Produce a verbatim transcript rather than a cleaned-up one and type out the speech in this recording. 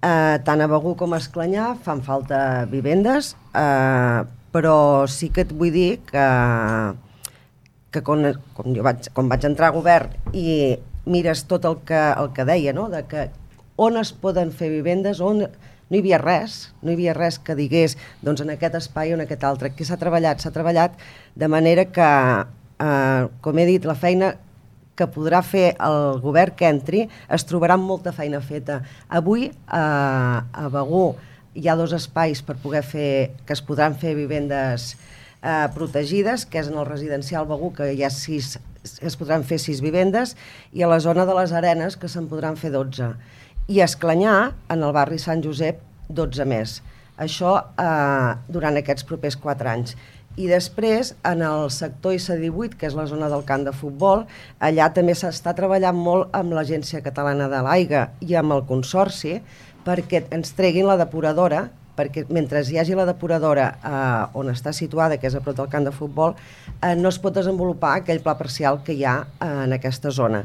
Eh, tant a Begur com a Esclanyà fan falta vivendes, eh, però sí que et vull dir que, que quan, quan, jo vaig, quan vaig entrar a govern i mires tot el que, el que deia, no? De que on es poden fer vivendes, on no hi havia res, no hi havia res que digués doncs en aquest espai o en aquest altre. Què s'ha treballat? S'ha treballat de manera que, eh, com he dit, la feina que podrà fer el govern que entri es trobarà amb molta feina feta. Avui eh, a Begur hi ha dos espais per poder fer, que es podran fer vivendes eh, protegides, que és en el residencial Begur, que hi ha sis, es podran fer sis vivendes, i a la zona de les Arenes, que se'n podran fer dotze. I a Esclanyà, en el barri Sant Josep, dotze més. Això eh, durant aquests propers quatre anys. I després, en el sector I C divuit, que és la zona del camp de futbol, allà també s'està treballant molt amb l'Agència Catalana de l'Aigua i amb el Consorci perquè ens treguin la depuradora, perquè mentre hi hagi la depuradora eh, on està situada, que és a prop del camp de futbol, eh, no es pot desenvolupar aquell pla parcial que hi ha eh, en aquesta zona.